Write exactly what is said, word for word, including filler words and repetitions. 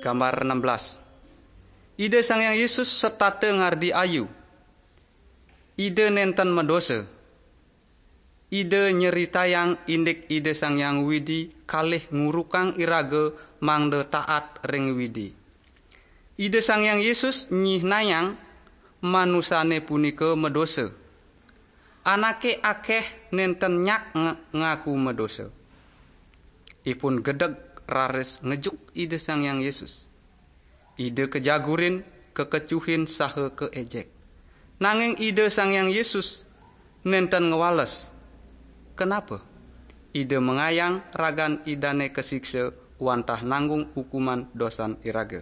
Gambar enam belas. Ida Sang Hyang Yesus setata ngardi ayu. Ida nenten medosa. Ida nyeritayang indik Ida Sang Hyang Widi kalih ngurukang iraga mangda taat ring Widi. Ida Sang Hyang Yesus nyihnayang manusane punika medosa. Anake akeh nenten nyak ng- ngaku medosa. Ipun gedeg raris ngejuk Ida Sang Hyang Yesus. Ida kejagurin, kekecuhin, saha keejek. Nanging Ida Sang Hyang Yesus nenten ngwales. Kenapa? Ida mengayang ragan Idane kasiksa wantah nanggung hukuman dosan iraga.